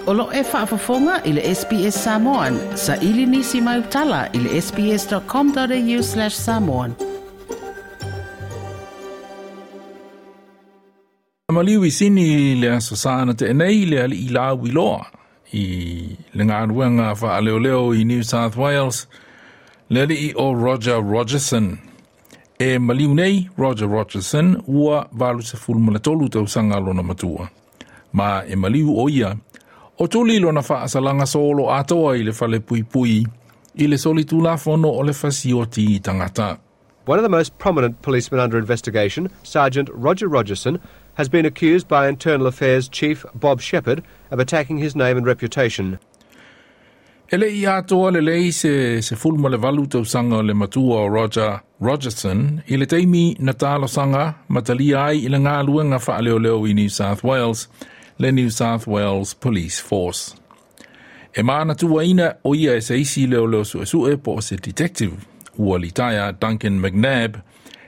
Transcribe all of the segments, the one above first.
O lo o e faafofoga i le SBS Samoan. Saili nisi mau tala i le sbs.com.au/samoan. Maliu i Sini i le Aso Sa na tea nei le alii lauiloa i le galuega faaleoleo i New South Wales, le alii o Roger Rogerson. E maliu nei Roger Rogerson ua 83 tausaga lona matua. Ma e maliu o ia, o tuli lona faasalaga solo atoa i le fale puipui i le solitulafono o le fasioti tagata. One of the most prominent policemen under investigation, Sergeant Roger Rogerson, has been accused by Internal Affairs Chief Bob Shepherd of attacking his name and reputation. E le i atoa lelei se 18 tausaga o le matua o Roger Rogerson i le taimi na talosaga ma talia ai i le galuega faaleoleo i New South Wales, le New South Wales Police Force. E manatuaina o ia e se isi leoleo suesue po o se detective, ua litaea Duncan McNabb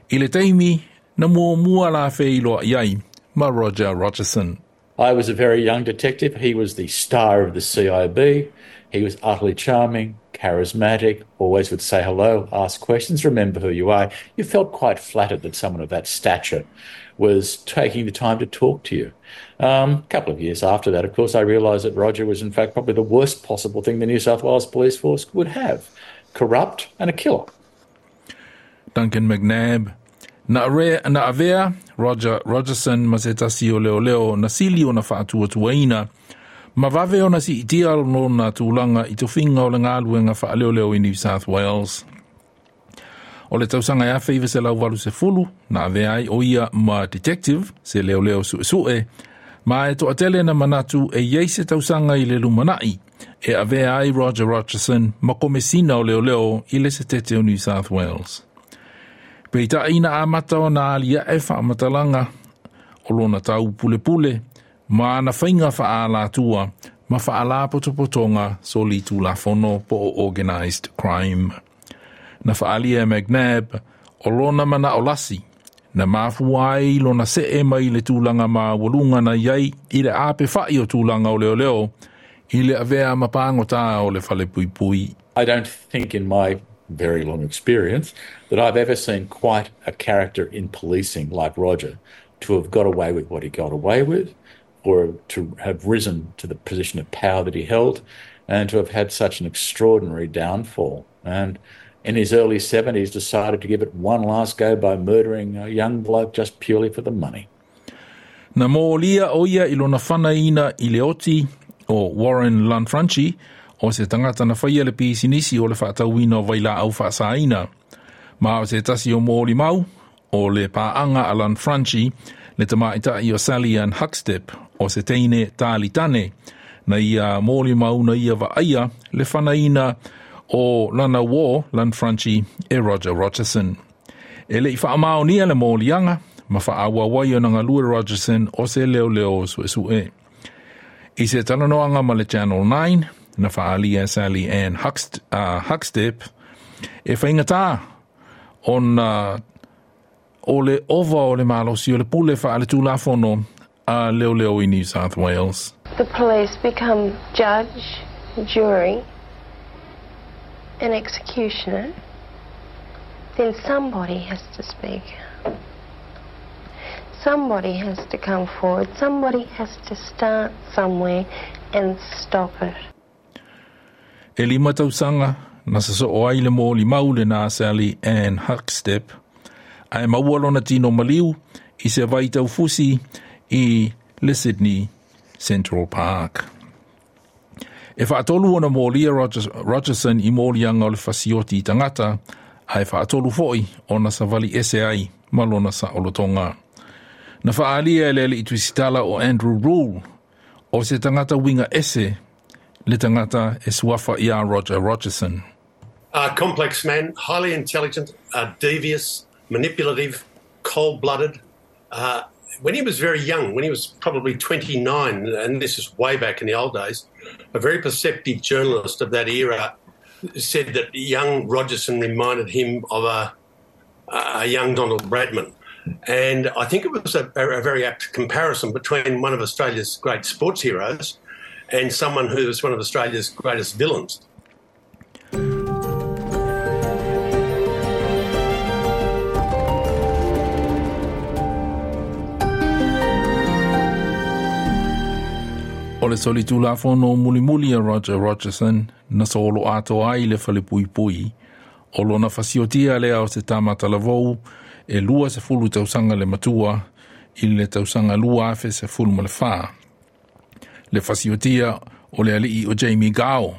i le taimi na muamua la feiloai ai ma Roger Rogerson. I was a very young detective. He was the star of the CIB. He was utterly charming, charismatic, always would say hello, ask questions, remember who you are. You felt quite flattered that someone of that stature was taking the time to talk to you. A couple of years after that, of course, I realised that Roger was in fact probably the worst possible thing the New South Wales Police Force would have. Corrupt and a killer. Duncan McNabb. Na, re, na avea Roger Rogerson ma se tasi o leoleo na sili ona faatuatuaina ma vave ona siitia lona tulaga i tofiga o le galuega faaleoleo i New South Wales. O le tausaga e 1980 na avea ai o ia ma detective se leoleo suesue ma e toatele na manatu e iai se tausaga i le lumanai e avea ai Roger Rogerson ma komesina o leoleo i le setete o New South Wales. Peitai na amata ona aliae faamatalaga o lona taupulepule ma ana faiga faaalatua ma faalapotopotoga solitulafono po o organised crime. Na faaalia e McNabb o lona manao lasi, na mafua ai lona see mai le tulaga maualuga na i ai i le apefai o tulaga o leoleo i le avea ma pagota o le falepuipui. I don't think in my very long experience that I've ever seen quite a character in policing like Roger to have got away with what he got away with, or to have risen to the position of power that he held, and to have had such an extraordinary downfall. And in his early 70s decided to give it one last go by murdering a young bloke just purely for the money. Na molia o ia i lona fanaina i le oti o Warren Lanfranchi, o se tagata na faia le pisinisi o le faatauina o vailaau faasaina. Ma o se tasi o molimau, o le paaga a Lanfranchi, le tamaitai o Sally Ann Huckstepp, o se teine talitane, na ia molimau na ia vaaia le fanaina o lana uō Lanfranchi e Roger Rogerson. E le i faamaonia le moliaga ma faaauau ai ona galue Rogerson o se leoleo suesue. I se talanoaga ma le Channel 9, na faaalia Sally Ann Huckstepp e faigata ona o le ova o le malosi o le pule faaletulafono a leoleo i New South Wales. The police become judge, jury and executioner, then somebody has to speak. Somebody has to come forward. Somebody has to start somewhere and stop it. E 5 tausaga na sasoo ai le molimau lena a Sally Ann Huckstepp, ae maua lona tino maliu i se vai taufusi i le Sydney Central Park. E faatolu ona molia Rogerson i moliaga o le fasioti i tagata, ae faatolu foi ona savali ese ai ma lona saolotoga. Na faaalia e le alii tusitala o Andrew Rule, o se tagata uiga ese le tagata e suafa ia Roger Rogerson. A complex man, highly intelligent, devious, manipulative, cold-blooded. When he was very young, when he was probably 29, and this is way back in the old days, a very perceptive journalist of that era said that young Rogerson reminded him of a young Donald Bradman. And I think it was a very apt comparison between one of Australia's great sports heroes and someone who was one of Australia's greatest villains. O le solitulafono mulimuli a Roger Rogerson na solo atoa ai le falepuipui o lona fasiotia lea o se tama talavou e 20 tausaga le matua i le tausaga 2014. Le fasiotia o le alii o Jamie Gao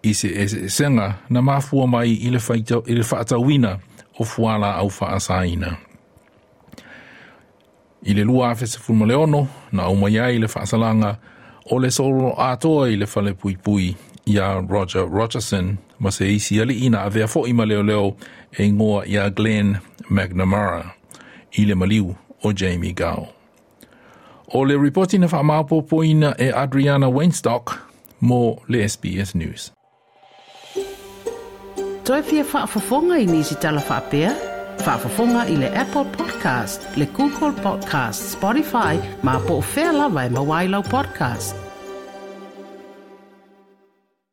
i se eseesega na mafua mai i le faatauina o fuala au faasaina. I le 2016 na aumai ai le faasalaga o le solo atoa i le falepuipui ia Roger Rogerson ma se isi alii na avea fo'i ma leoleo e igoa ia Glenn McNamara i le maliu o Jamie Gao. O le ripoti na faamaopoopoina e Adriana Weinstock mo le SBS News. Toe fia faafofoga i nisi tala faapea? Faafofoga i le Apple Podcast, le Google Podcast, Spotify, ma po o fea lava e maua ai lau podcast.